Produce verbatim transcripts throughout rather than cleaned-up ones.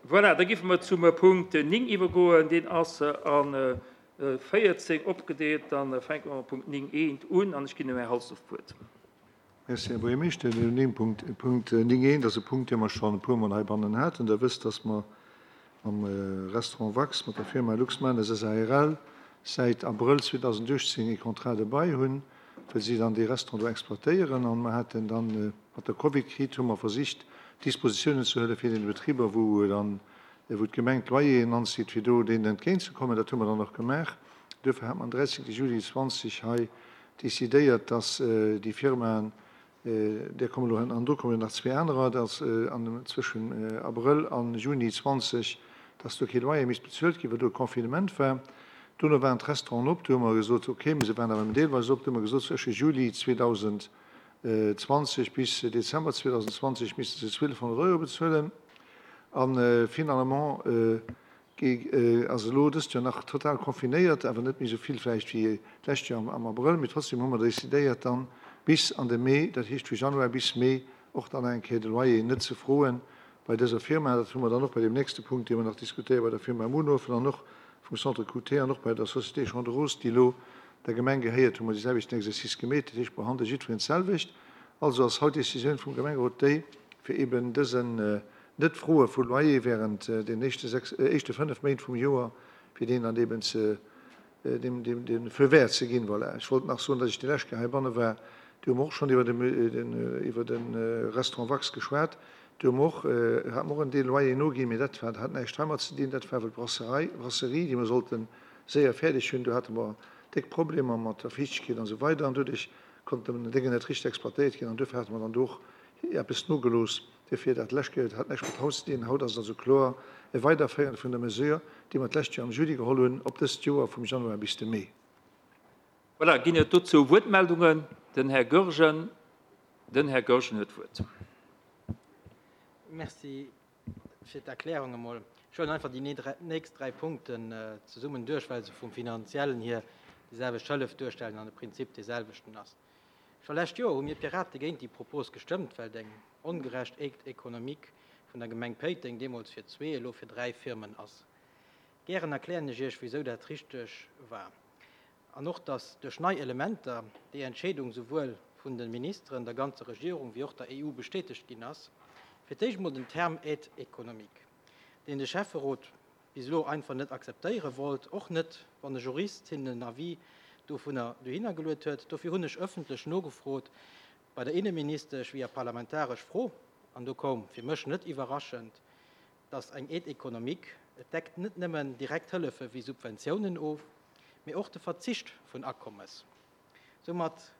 Voilà, da géife mer zum Punkt néng iwwergoen. Deen ass a véierzéng opgedeelt. Dann fänke mer mam Punkt néng eent un an ech ginn dem Här Halsdorf d'Wuert. Merci, Här Buergermeeschter. Den néng Punkt, Punkt néng eent ass e Punkt, dee mer schonn e puermol heibannen haten. Der wësst, dass mer mam Restaurant Wax, mat der Firma Luxmanes S A R L säit Abrëll zweedausenduechtzéng e Contrat de bail hunn, well si dann dee Restaurant do exploitéieren. An mer haten dann mat der Covid-Kris hu mer versicht, Dispositiounen ze huelen fir deene Betriber, wou dann, wou d'Gemeng d'Loyeren anzitt, fir do deenen entgéintzekommen. Dat hu mer dann och gemaach. Duerfir hat mer am dräizéngte Juli zwanzeg hei decidéiert, dass déi Firmaen, där kommen elo an do kommen nach zwee anerer, dass an zwëschen Abrëll an Juni zwanzeg, dass do kee Loyer misst bezuelt ginn, well do e Confinement war. Dono waren d'Restauranten op, do hu mer gesot, okay, mee se waren awer deelweis op, do hu mer gesot, zwësche Juli zweedausendzwanzeg bis Dezember zweedausendzwanzeg misste se zwielfhonnert Euro bezuelen. An finalement ass elo dëst Joer nach total confinéiert, awer net méi esou vill vläicht wéi d'lescht Joer am Abrëll, mee trotzdem hu mer decidéiert dann bis an de Mee, dat heescht vu Januar bis Mee, och dann eng Kéier de Loyer net ze froen bei dëser Firma. Dat hu mer dann och bei dem nächste Punkt, dee mer nach diskutéieren, bei der Firma Munhofen an och vum Centre Q T an och bei der Société Champ de Rose, déi elo der Gemeng gehéiert, hu mer dee selwechten Exercice gemeet. Dat heescht, behandle jiddwereen d'selwecht. Also ass haut d'Décisioun vum Gemengerot déi, fir eben dësen net Froe vu Loyer während den éischte sechs, éischte fënnef Méint vum Joer, fir deen dann eben ze, dem, dem, dem Feu vert ze ginn. Voilà. Ech wollt nach soen, datt ech déi lescht Kéier heibanne war, do hu mer och schonn iwwer den, den, iwwer den Restaurant Wax geschwat. Do hu mer och, hat mer och en Deel Loyer noginn, mee dat war, hat näischt heimat ze dinn. Dat war well d'Brasserei, Brasserie, déi mer sollten séier fäerdeg hunn, do hate mer déck Problemer mat der Fiichtegkeet an esou weider an doduerch konnten déi Dénge net richteg exploitéiert ginn an duerfir hate mer dann do och eppes nogelooss. Duerfir dat lescht Kéier hat näischt mat Haus ze dinn. Haut ass et also kloer e Weiderféieren vun der Mesure, déi mer d'lescht Joer am Juli geholl hunn, op dëst Joer vum Januar bis de Mee. Voilà, ginn et dozou Wuertmeldungen? Den Här Goergen, den Här Goergen huet d'Wuert. Merci fir d'Erklärung emol. Ech huelen einfach déi nächst dräi Punkten zesummen duerch, well se vum Finanziellen hier déi selwecht Hëllef duerstellen an de Prinzip dee selwechten ass. Scho lescht Joer hu mir Pirate géint déi Propos gestëmmt, well eng ongerecht Aide économique vun der Gemeng Péiteng deemools fir zwee, elo fir dräi Firmen ass. Gären erklären ech Iech, wéisou dat richteg war. An och, dass duerch nei Elementer déi Entscheedung souwuel vun de Ministeren, der ganzer Regierung wéi och der E U bestätegt ginn ass. Fir d'éischt mol den Term Aide économique, deen de Schäfferot bis elo einfach net akzeptéiere wollt, och net, wann e Jurist hinnen en Avis dovunner dohinner geluet huet. Dofir hunn ech ëffentlech nogefrot bei der Inneministesch via parlamentaresch Fro, an do koum fir mech net iwwerraschend, dass eng Aide économique, et deckt net nëmmen direkt Hëllefe wéi Subventiounen of, mee och de Verzicht vun Akommes. Soumat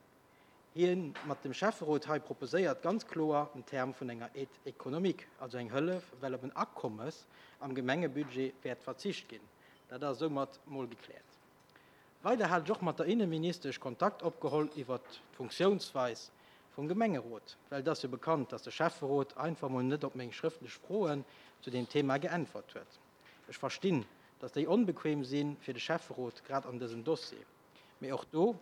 hien mat dem Schäfferot hei proposéiert ganz kloer en Term vun enger Aide économique, also eng Hëllef, well op en Akommes am Gemengebudget wäert verzicht ginn. Dat ass soumat mol gekläert. Weider hat ech och mat der Inneministesch Kontakt opgeholl iwwer d'Funktiounsweis vum Gemengerot, well et ass jo bekannt, dass de Schäfferot einfach mol net op meng schrëftlech Froen zu dem Thema geäntwert huet. Ech verstinn, dass déi onbequem sinn fir de Schäfferot grad an dësem Dossier. Mee och do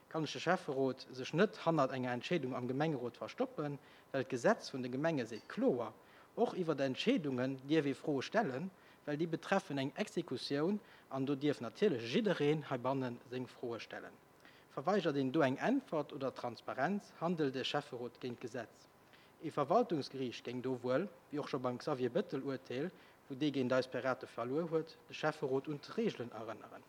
kann ech de Schäfferot sech net hannert enger Entscheedung am Gemengerot verstoppen, well d'Gesetz vun de Gemenge seet kloer, och iwwer Entscheedungen dierf ee Froe stellen, well déi betreffen eng Exekutioun an do dierf natierlech jiddereen heibannen seng Froe stellen. Verweigert een do eng Äntwert oder Transparenz, handelt de Schäfferot géint d'Gesetz. E Verwaltungsgeriicht géing do wuel, wéi och scho beim Xavier Bettel-Urteel, wou dee géint eis Pirate verluer huet, de Schäfferot un d'Regeln erënneren.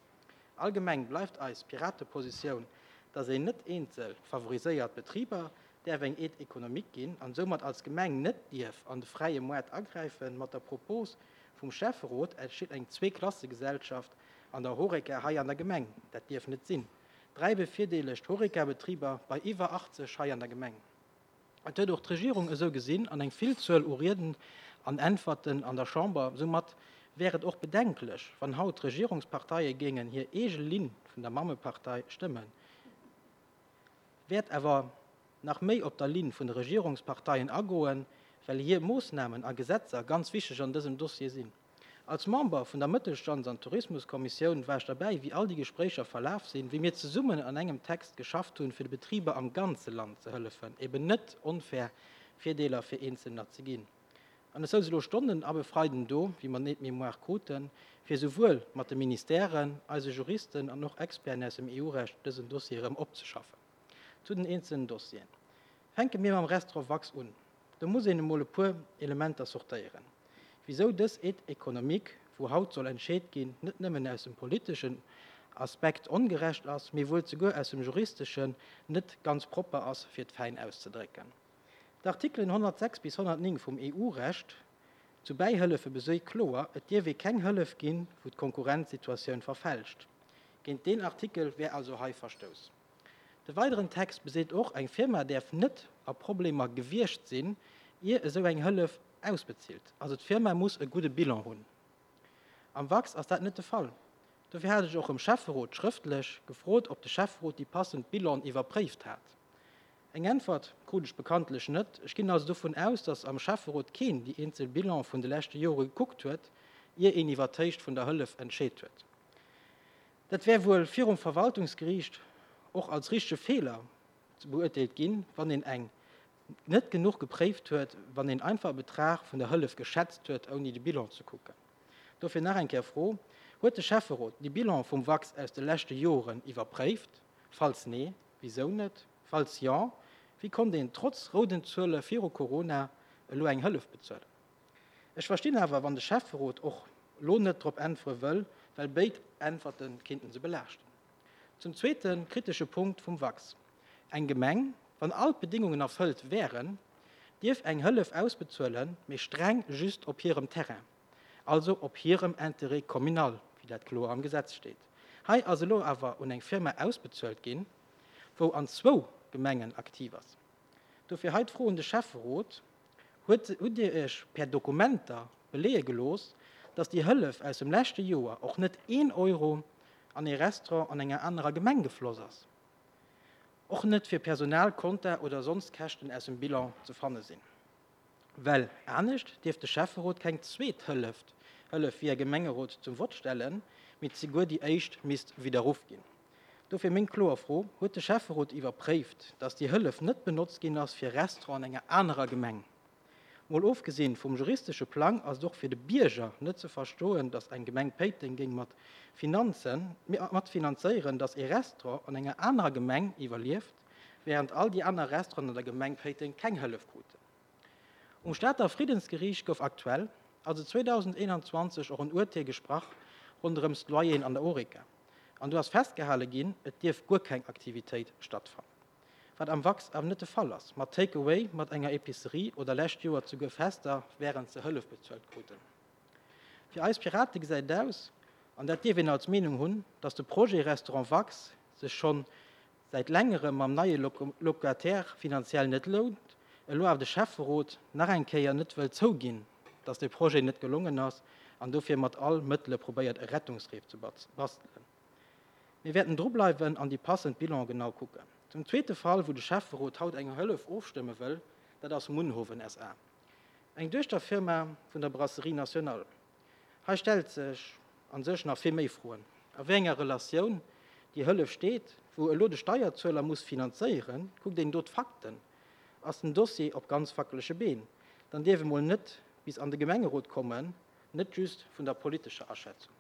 Allgemeng bleift eis Piratepositioun, dass een net eenzel favoriséiert Betriber däerf eng Aide économique ginn an soumat als Gemeng net dierf an de fräie Moart agräifen. Mat der Propos vum Schäfferot entsteet eng Zweeklassegesellschaft an der Horeca hei an der Gemeng. Dat dierf net sinn. Dräi bevirdeelegt Horeca-Betriber bei iwwer achtzeg hei an der Gemeng. Et huet och d'Regierung esou gesinn an eng Villzuel u Rieden an Äntwerten an der Chamber. Soumat wär et och bedenklech, wann haut d'Regierungsparteie géingen hir eege Linn vun der Mammepartei stëmmen. Wäert awer nach méi op der Linn vun de Regierungsparteien agoen, well hir Moossnamen a Gesetzer ganz wichteg an dësem Dossier sinn. Als Member vun der Mëttelstands- an Tourismuskommissioun war ech derbäi, wéi all déi Gespréicher verlaf sinn, wéi mir zesummen an engem Text geschafft hunn, fir de Betriber am ganze Land ze hëllefen, eben net onfair Virdeeler fir Einzelner ze ginn. An ech souz elo Stonnen ab e Freiden do, wéi mer den Aide-mémoire kruten, fir souwuel mat de Ministèren, eise Juristen an och Experten aus dem E U-Recht dësen Dossier erëm opzeschaffen. Zu den eenzelnen Dossieren. Fänke mir mam Restaurant Wax un. Do muss een emol e puer Elementer sortéieren. Wisou dës Aide économique, wou haut soll entscheet ginn, net nëmmen aus dem politeschen Aspekt ongerecht ass, mee wuel souguer aus dem juristeschen net ganz propper ass, fir et fäin auszedrécken. D'Artikelen honnertsechs bis honnertnéng vum E U-Recht zu Bäihëllefe besoe kloer, et dierf ee keng Hëllef ginn, wou d'Konkurrenzsituatioun verfälscht. Géint deen Artikel wär also hei verstouss. De weideren Text beseet och, eng Firma däerf net a Problemer gewiescht sinn, ier esou eng Hëllef ausbezilt. Also d'Firma muss e gudde Bilan hunn. Am Wax ass dat net de Fall. Dofir hat ech och um Schäfferot schrëftlech gefrot, ob de Schäfferot déi passend Bilanen iwwerpréift hat. Eng Äntwert krut ech bekanntlech net. Ech ginn also dovun aus, datt am Schäfferot keen déi eenzel Bilane vun de leschte Jore gekuckt huet, ier een iwwer d'Héicht vun der Hëllef entscheet huet. Dat wär wuel virum Verwaltungsgeriicht och als richtege Feeler beurteelt ginn, wann een eng net genuch gepréift huet, wann een einfach e Betrag vun der Hëllef geschätzt huet, ouni de Bilan ze kucken. Dofir nach eng Kéier Fro, Huet de Schäfferot déi Bilane vum Wax aus de leschte Joren iwwerpréift? Falls nee, wisou net? Falls jo, wéi konnt een trotz rouden Zuele viru Corona elo eng Hëllef bezuelen? Ech verstinn awer, wann de Schäfferot och lo net drop äntwere wëll, well béid Äntwerte kinnten se belaaschten. Zum zweete kritesche Punkt vum Wax. Eng Gemeng, wann all d'Bedingungen erfëllt wären, dierf eng Hëllef ausbezuelen, mee streng just op hirem Terrain, also op hirem Intérêt communal, wéi dat kloer am Gesetz steet. Hei ass elo awer un eng Firma ausbezuelt ginn, wou an zwou Gemengen aktiv ass. Dofir hei d'Fro un de Schäfferot, Huet, hutt Dir Iech per Dokumenter beleeë gelooss, dass déi Hëllef aus dem leschte Joer och net een Euro an ee Restaurant an enger anerer Gemeng gefloss ass? Och net fir Personal, Konta oder soss Käschten aus dem Bilan ze fanne sinn? Well anescht dierft de Schäfferot keng zweet Hëllef, Hëllef via Gemengerot zum Vott stellen, mee souguer déi éischt misst widderruff ginn. Dofir meng kloer Fro, Huet de Schäfferot iwwerpréift, dass déi Hëllef net benotzt ginn ass fir Restaurant an enger anerer Gemeng? Mol ofgesinn vum juristesche Plang ass et och fir de Bierger net ze verstoen, dass eng Gemeng Péiteng géing mat Finanzen, mat finanzéieren, dass ee Restaurant an enger anerer Gemeng iwwerlieft, wärend all déi aner Restauranten an der Gemeng Péiteng keng Hëllef kruten. Um Stater Friddensgeriicht gouf aktuell, also zweedausendeenanzwanzeg, och en Urteel gesprach ronderëms d'Loyeren an der Horeca. An do ass festgehale ginn, et dierf guer keng Aktivitéit stattfannen. Wat am Wax awer net de Fall ass, mat Take-away, mat enger Epicerie oder lescht Joer souguer Fester, wärend se Hëllef bezuelt kruten. Fir eis Pirate gesäit et aus, an dat dierf een als Meenung hunn, dass de Projet Restaurant Wax sech schonn säit längerem mam neie Locataire finanziell net lount, elo awer de Schäfferot nach eng Kéier net wëll zouginn, dass de Projet net gelongen ass an dofir mat all Mëttele probéiert e Rettungsreef ze bastelen. Mir wäerten drubleiwen an déi passend Bilan genau kucken. Zum zweete Fall, wou de Schäfferot haut eng Hëllef ofstëmme wëll, dat ass Munhowen S A. Eng Duechterfirma vun der Brasserie Nationale. Hei stellt sech an sech nach vill méi Froen. A wéi enger Relatioun déi Hëllef steet, wou elo de Steierzueler muss finanzéieren, kuckt een do d'Fakten, ass den Dossier op ganz wackelege Been. Dann dierf e mol net bis an de Gemengerot kommen, net just vun der politescher Aschätzung.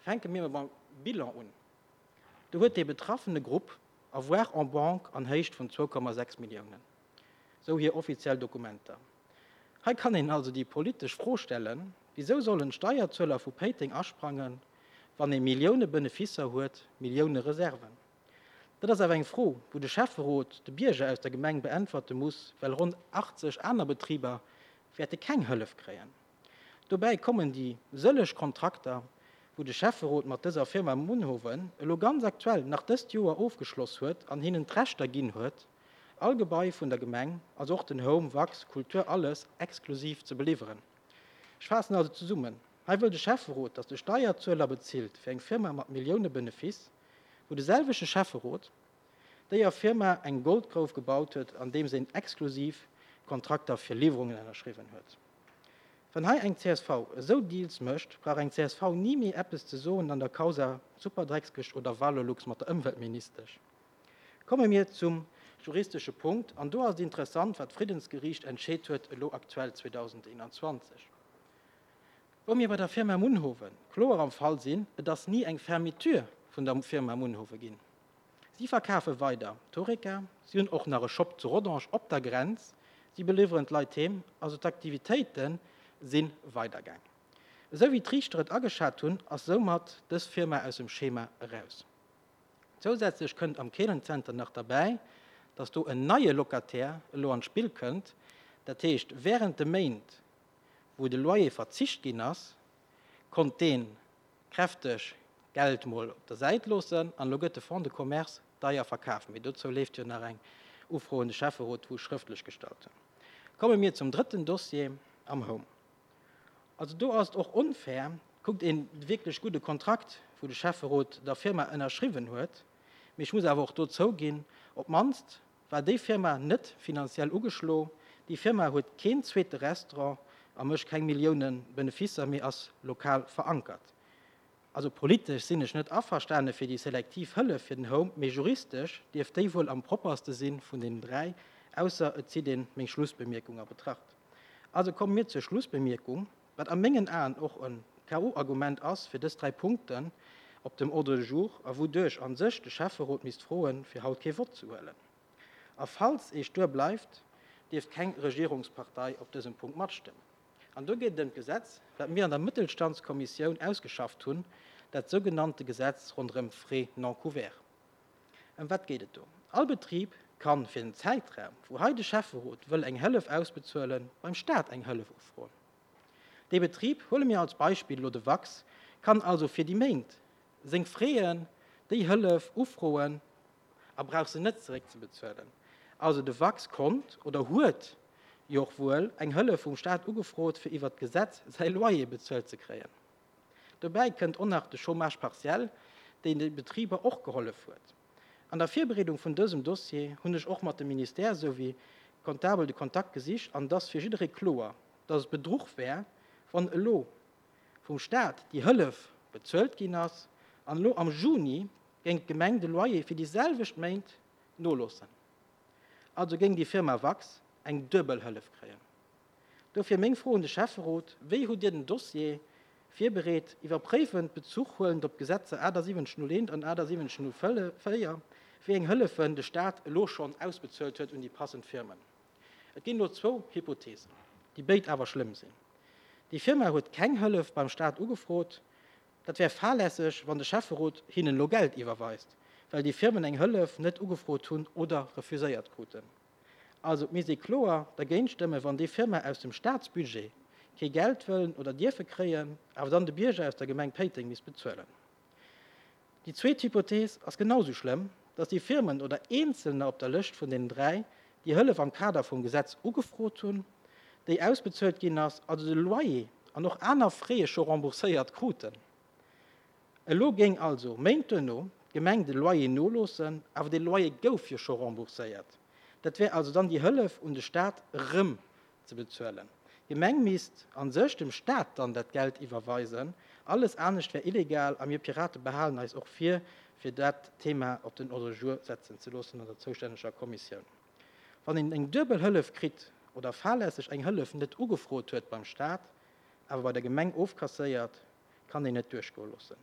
Fänke mir mam Bilan un. Do huet dee betraffene Grupp Avoirs en banque an Héicht vun zwou Komma sechs Milliounen, sou hir offiziell Dokumenter. Hei kann een also déi politesch Fro stellen, Wisou sollen d'Steierzueler vu Péiteng asprangen, wann ee Millioune Beneficer huet, Millioune Reserven? Dat ass awer eng Fro, wou de Schäfferot de Bierger aus der Gemeng beäntwerte muss, well ronn achtzeg aner Betriber wäerte keng Hëllef kréien. Dobäi kommen déi sëlleg Kontrakter, wou de Schäfferot mat dëser Firma Munhowen elo ganz aktuell nach dëst Joer ofgeschloss huet an hinnen d'Rechter ginn huet, all Gebai vun der Gemeng, also och den Home, Wax, Kultur, alles exklusiv ze beliwweren. Ech faassen also zesummen, Hei wëll de Schäfferot, datt de Steierzueler bezilt fir eng Firma mat Millioune Benefice, wou de selwechte Schäfferot déier Firma eng Goldgrouf gebaut huet, andeems een exklusiv Kontrakter fir Liwwerungen ënnerschriwwen huet. Wann hei eng C S V esou Deals mécht, brauch eng C S V ni méi eppes ze soen an der Causa Superdreckskëscht oder Valorlux mat der Ëmweltministesch. Komme mir zum juristesche Punkt, an do ass et interessant, wat d'Friddensgeriicht entscheet huet elo aktuell zweedausendeenanzwanzeg, wou mir bei der Firma Munhowen kloer am Fall sinn, et ass ni eng Fermeture vun der Firma Munhowe ginn. Si verkafe weider d'Horeca, si hunn och nach e Shop zu Rodange op der Grenz, si beliwweren d'Leit heem, also d'Aktivitéite si weidergaang. Esou wéi d'Riichter et ageschat hunn, ass soumat dës Firma aus dem Schema eraus. Zousätzlech kënnt am Keelenzenter nach derbäi, dass do en neie Locataire elo an d'Spill kënnt, dat heescht während de Méint, wou de Loyer verzicht ginn ass, konnt dee kräfteg Geld mol op der Säit loossen an elo gëtt de Fonds de commerce deier verkaf. Mee dozou leeft jo nach eng Ufro un de Schäfferot, wou ech schrëftlech gestallt hunn. Komme mir zum drëtten Dossier am Home. Also do ass et och onfair, kuckt een de wierklech gudde Kontrakt, wou de Schäfferot der Firma ënnerschriwwen huet, mee ech muss awer och do zouginn, op d'mannst war déi Firma net finanziell ugeschlo, déi Firma huet keen zweete Restaurant a mécht keng Millioune Beneficer, mee ass lokal verankert. Also politesch sinn ech net averstane fir déi selektiv Hëllef fir den Home, mee juristesch dierft déi wuel am propperste sinn vun deenen dräi, ausser et zitt een meng Schlussbemierkung a Betracht. Also komme mir zur Schlussbemierkung, wat a mengen Aen och e K O-Argument ass fir dës dräi Punkten op dem Ordre du jour a wouduerch a sech de Schäfferot misst froen, fir haut kee Vott ze huelen. A falls ee stuer bleift, dierft keng Regierungspartei op dësem Punkt matstëmmen. An do geet et ëm d'Gesetz, wat mir an der Mëttelstandskommissioun ausgeschafft hunn, dat sougenannte Gesetz ronderëm d'Frais non couverts. Ëm wat geet et do? All Betrib kann fir den Zäitraum, wou hei de Schäfferot wëll eng Hëllef ausbezuelen, beim Staat eng Hëllef ufroen. Dee Betrib, huele mir als Beispill elo de Wax, kann also fir déi Méint seng Fräen, déi Hëllef ufroen a brauch se net zeréckzebezuelen. Also de Wax konnt oder huet jo och wuel eng Hëllef vum Staat ugefrot, fir iwwert d'Gesetz säi Loyer bezuelt ze kréien. Dobäi kënnt och nach de Chômage partiel, deen de Betriber och gehollef huet. An der Virbereedung vun dësem Dossier hunn ech och mat dem Ministère souwéi Comptabel de Kontakt gesicht an et ass fir jidderee kloer, dass et Bedruch wär, wann elo vum Staat déi Hëllef bezuelt ginn ass an elo am Juni géing d'Gemeng de Loyer fir déi selwecht Méint noloossen. Also géing déi Firma Wax eng duebel Hëllef kréien. Dofir meng Fro un de Schäfferot, Wéi hutt Dir den Dossier virbereet, iwwerpréifend, Bezuch huelend op d'Gesetzer achtundsiwwenzeg null eent an achtundsiwwenzeg null véier, wéi eng Hëllefen de Staat elo schonn ausbezuelt huet un déi passend Firmen? Et ginn elo zwou Hypothesen, déi béid awer schlëmm sinn. Déi Firma huet keng Hëllef beim Staat ugefrot. Dat wär fahrlässeg, wann de Schäfferot hinnen elo Geld iwwerweist, well déi Firmen eng Hëllef net ugefrot hunn oder refuséiert kruten. Also et misst ee kloer dergéint stëmmen, wann déi Firma aus dem Staatsbudget kee Geld wëllen oder dierfe kréien, awer dann de Bierger aus der Gemeng Péiteng misst bezuelen. Déi zweet Hypothees ass genau sou schlëmm, dass déi Firmen oder Eenzelner op der Lëscht vun deenen dräi déi Hëllef am Kader vum Gesetz ugefrot hunn, déi ausbezuelt ginn ass, also de Loyer an och aner Fraie scho rembourséiert kruten. Elo géing also Méint duerno d'Gemeng de Loyer noloossen, awer dee Loyer gouf jo scho rembourséiert. Dat wär also dann déi Hëllef un de Staat erëm ze bezuelen. D'Gemeng misst a sech dem Staat dann dat Geld iwwerweisen. Alles anescht wär illegal a mir Pirate behalen eis och vir, fir dat Thema op den Ordre du jour setzen ze loossen an der zoustänneger Kommissioun. Wann een eng duebel Hëllef kritt oder fahrlässeg eng Hëllef net ugefrot huet beim Staat, awer bei der Gemeng ofkasséiert, kann een net duerchgoe loossen.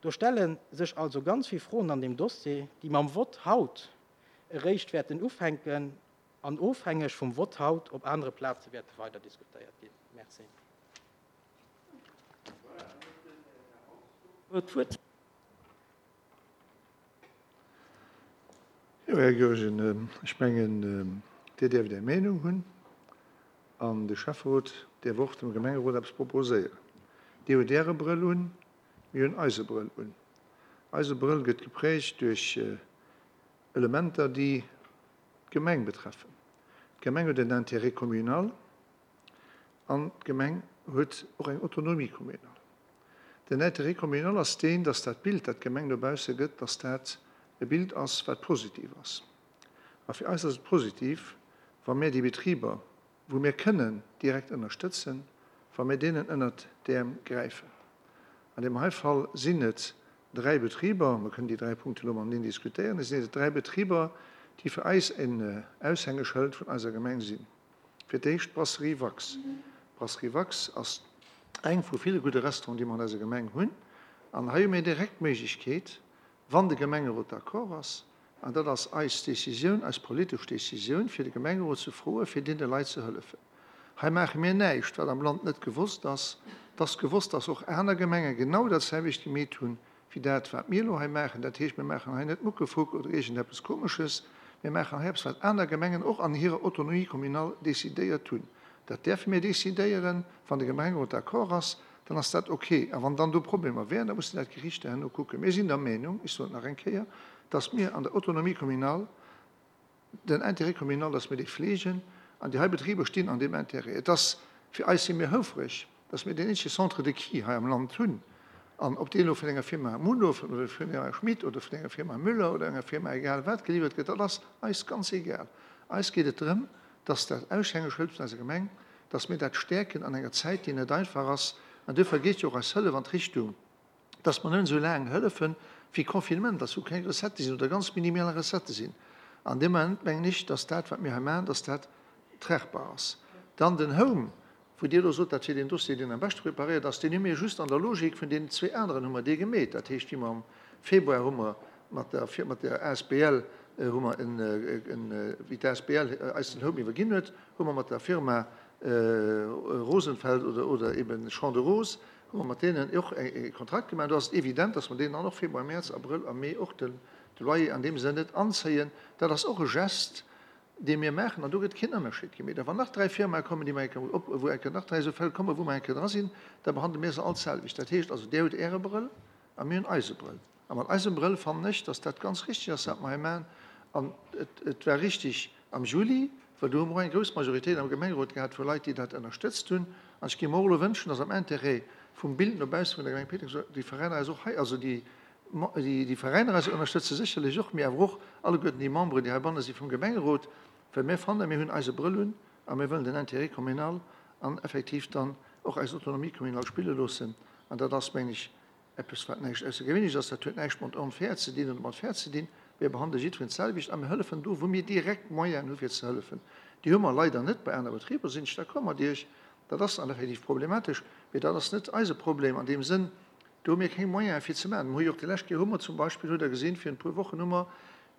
Do stelle sech also ganz vill Froen an deem Dossier, déi mam Vott haut eréischt wäerten ufänken an ofhängeg vum Vott haut op anere Plaze wäerte weider diskutéiert ginn. Merci. Jo, Här Goergen, ech mengen, Dir däerft Är Meenung hunn an de Schäfferot däerf och dem Gemengerot eppes proposéieren. Dir hutt Äre Brëll un, mir hunn eise Brëll un. Eise Brëll gëtt geprägt duerch Elementer, déi d'Gemeng betreffen. D'Gemeng huet en Intérêt communal an d'Gemeng huet och eng Autonomie communale. Den Intérêt communal ass deen, dass dat Bild, dat d'Gemeng no bausse gëtt, dass dat e Bild ass, wat positiv ass. A fir eis ass et positiv, wa mir déi Betriber, wou mir kënnen direkt ënnerstëtzen, wa mir deenen ënnert d'Äerm gräifen. An deem hei Fall sinn et dräi Betriber, mer kënnen déi dräi Punkte elo mateneen diskutéieren, et sinn et dräi Betriber, déi fir eis en Aushängeschëld vun eiser Gemeng sinn. Fir d'éischt d'Brasserie Wax. D'Brasserie Wax ass eng vu ville gudde Restauranten, déi mer an eiser Gemeng hunn. An hei hu mir direkt d'Méiglechkeet, wann de Gemengerot d'accord ass, an dat ass eis Décisioun, eis politesch Décisioun, fir de Gemengerot ze froen, fir deene Leit ze hëllefen. Hei maache mir näischt, wat am Land net gewosst ass. Et ass gewosst, dass och aner Gemenge genau dat selwecht gemeet hunn, wéi dat, wat mir elo hei maachen. Dat heescht, mir maachen hei net Muckefuck oder iergendeppes Komesches. Mir maachen hei eppes, wat aner Gemengen och an hirer Autonomie communale decidéiert hunn. Dat däerfe mir decidéieren. Wann de Gemengerot d'accord ass, dann ass dat ok. A wann dann do Problemer wären, da mussen dat d'Gerichter herno kucken. Mir sinn der Meenung, ech soen et nach eng Kéier, dass mir an der Autonomie communale den Intérêt communal, dass mir dee fleegen, an déi hei Betriber stinn an deem Intérêt. Et ass, fir eis si mir houfreg, dass mir deen eenzege Centre de qui hei am Land hunn. An ob deen elo vun enger Firma Munhowen oder vun der Firma Schmit oder vun enger Firma Müller oder enger Firma egal wat geliwwert gëtt, dat ass eis ganz egal. Eis geet et drëm, dass dat Aushängeschëld vun eiser Gemeng, dass mir dat stäerken an enger Zäit, déi net einfach ass. An duerfir geet jo och eis Hëllef an d'Richtung, dass mer nëmmen esou laang hëllefen, wéi Confinement ass, wou keng Recettë sinn oder ganz minimal Recettë sinn. An dee Moment mengen ech, dass dat, wat mir hei maachen, dass dat tragbar ass. Dann den Home, wou Dir elo sot, dat wier deen Dossier, deen am beschte preparéiert ass, deen hu mir just an der Logik vun deenen zwee aneren hu mer dee gemeet. Dat heescht, wéi mer am Februar hu mer mat der, mat der asbl hu mer en, en, wéi d'asbl eis den Home iwwerginn huet, hu mer mat der Firma Rosenfeld oder, oder eben Champ de Rose, hu mer mat deenen och e Kontrakt gemaach. Do ass et evident, dass mer deenen dann och Februar, Mäerz, Abrëll a Mee och de Loyer an deem Sënn net anzéien. Dat ass och e Geste, dee mir maachen, an do gëtt keen Ënnerscheed gemeet. A wann nach dräi Firmae kommen, déi mer eng Kéier op, wou eng Kéier nach dräi esou Fäll kommen, wou mer eng Kéier dra sinn, da behandle mir se all d'selwecht. Dat heescht also, Dir hutt Äre Brëll a mir hunn eise Brëll. A mat eisem Brëll fannen ech, dass dat ganz richtig ass, wat mer hei maachen. An et, et war richtig am Juli, well do hu mer och eng grouss Majoritéit am Gemengerot gehat vu Leit, déi dat ënnerstëtzt hunn. An ech géif mer och elo wënschen, dass am Intérêt vum Bild no bausse vun der Gemeng Péiteng déi Veräiner eis och hei, also déi, déi Veräiner eis ënnerstëtze sécherlech och, mee awer och alleguerten déi Memberen, déi heibanne si vum Gemengerot, well mir fannen, mir hunn eise Brëll un a mir wëllen den Intérêt communal an effektiv dann och eis Autonomie communale spille loossen. An dat ass, meng ech, eppes, wat näischt Aussergewéinleches ass. Dat huet näischt mat onfair ze dinn oder mat fair ze dinn. Mir behandele jiddwereen d'selwecht a mir hëllefen do, wou mir direkt Moyenen hu fir ze hëllefen. Déi hu mer leider net bei aner Betriber, sinn ech d'accord mat Iech. Dat ass dann effektiv problematesch, mee dat ass net eise Problem an deem Sënn. Do hu mir keng Moyene fir ze maachen. Mir hu jo och déi lescht Kéier hu mer zum Beispill, hutt Der gesinn, virun e puer Wochen hu mer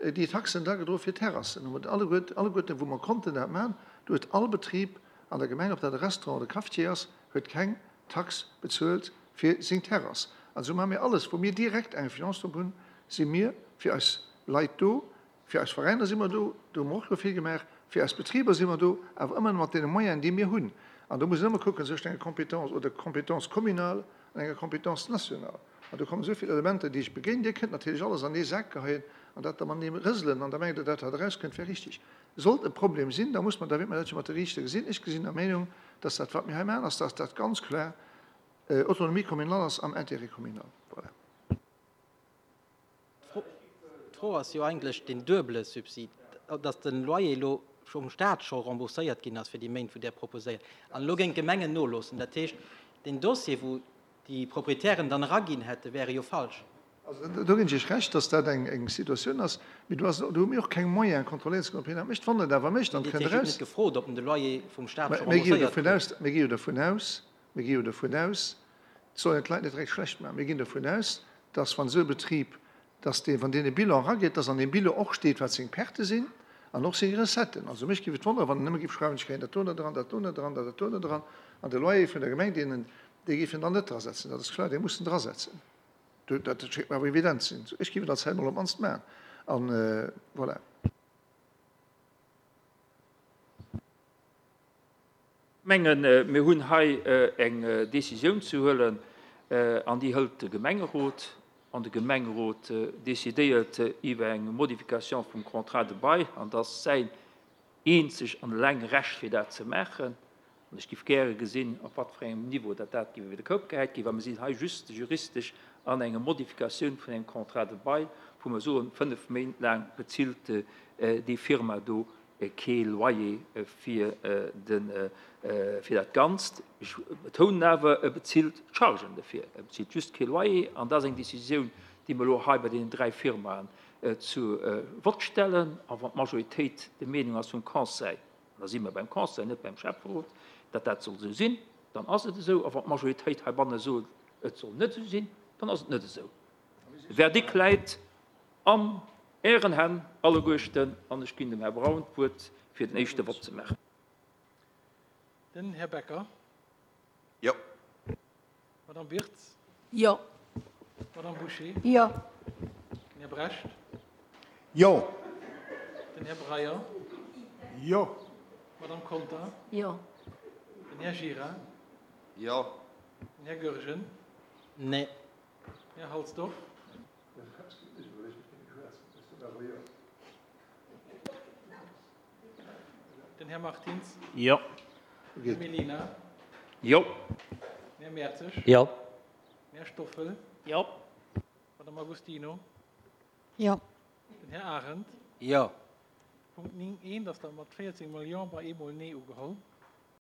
déi Taxen da gedroe fir d'Terrassen. Hu mer alleguer, alleguerten, wou mer konnten dat maachen, do huet all Betrib an der Gemeng, ob dat e Restaurant oder e Cafetier ass, huet keng Tax bezuelt fir seng Terrass. An esou maache mir alles, wou mir direkt eng Influence drop hunn, si mir fir eis Leit do, fir eis Veräiner si mer do, do hu mer och jo vill gemaach, fir eis Betriber si mer do, awer ëmmer mat deene Moyenen, déi mir hunn. An do muss een ëmmer kucken zwëschen enger Compétence oder Compétence communale an enger Compétence nationale. An do kommen esou vill Elementer, déi ech begéinen. Dir kënnt natierlech alles an ee Sak geheien an dat da matenee rëselen an da mengt Der, dat wat erauskënnt, wär richtig. Sollt e Problem sinn, da muss mer, da wäert mer dat jo mat de Riichter gesinn. Ech gesinn der Meenung, dass dat, wat mir hei maachen, ass, dass dat ganz kloer Autonomie communale ass am Intérêt communal. Voilà. D'Fro ass jo eigentlech deen duebele Subsid, dass de Loyer elo vum Stat scho rembourséiert ginn ass fir déi Méint, wou Der proposéiert, an elo géing d'Gemengen noloossen. Dat heescht, deen Dossier, wou déi Proprietären dann eraginn hätte, wäre jo falsch. Also do ginn ech Iech Recht, dass dat eng eng Situatioun ass, mee do ass, do hu mir och keng Moyen kontrolléieren ze kënnen, ob hien dat mécht. Wann en et awer mécht, dann Dir kënnt hutt eraus. net gefrot, ob en de Loyer vum Stat scho Mir gi jo rembourséiert dovun krut. aus, mir gi jo dovun aus, mir gi jo dovun aus, et soll een d'Leit net direkt schlecht maachen, mir ginn dovun aus, dass wann esou e Betrib, dass dee, wann deen e Bilan erageet, dass an deem Bilan och steet, wat seng Pertë sinn an och seng Recetten. Also mech géif et wonneren, wann en nëmme géif schreiwen, ech kréien dat do net eran, dat do net eran, dat do net eran, an de Loyer vun der Gemeng, deen en, dee géif en dann net drasetzen. Dat ass kloer, dee muss en drasetzen. Dat schéngt mer awer evident ze sinn. Ech géif et als Här mol op d'mannst maachen. An voilà. Ech mengen, mir hunn hei eng Décisioun ze huelen, an déi hëlt de Gemengerot. An de Gemengerot decidéiert iwwer eng Modification vum Contrat de bail, an dat ass säin eenzeg an eleng Recht, fir dat ze maachen. An ech géif gäre gesinn, op wat fir engem Niveau dat dat géif iwwer de Koup gehäit ginn, well mir sinn hei just juristesch an enger Modifikatioun vun engem Contrat de bail, wou mer soen, fënnef Méint laang bezilt déi Firma do kee Loyer fir de, fir dat Ganzt. Ech betounen awer, e bezilt d'Chargen dofir, e bezilt just kee Loyer. An dat ass eng Décisioun, déi mer elo hei bei deenen dräi Firmaen zu Vott stellen. A wann d'Majoritéit der Meenung ass vum Conseil, an da si mer beim Conseil, net beim Schäfferot, datt dat soll esou sinn, dann ass et esou. A wann d'Majoritéit heibanne sot, et soll net esou sinn, dann ass et net esou. De Verdikt läit an Ären Hänn alleguerten an ech ginn dem Här Braun d'Wuert, fir den éischte Vott ze maachen. Den Här Becker. Jo. Madame Wirtz. Jo. Madame Bouché. Jo. Den Här Brecht. Jo. Den Här Breyer. Jo. Madame Conter. Jo. Den Här Gira. Jo. Den Här Goergen. Nee. Den Här Halsdorf. Den Här Martins. Jo. Den Här Mellina. Jo. Den Här Mertzig. Jo. Den Här Stoffel. Jo. Madame Agostino. Jo. Den Här Arendt. Jo. Punkt néng eent ass da mat véierzéng mol Jo bei eemol Nee ugeholl.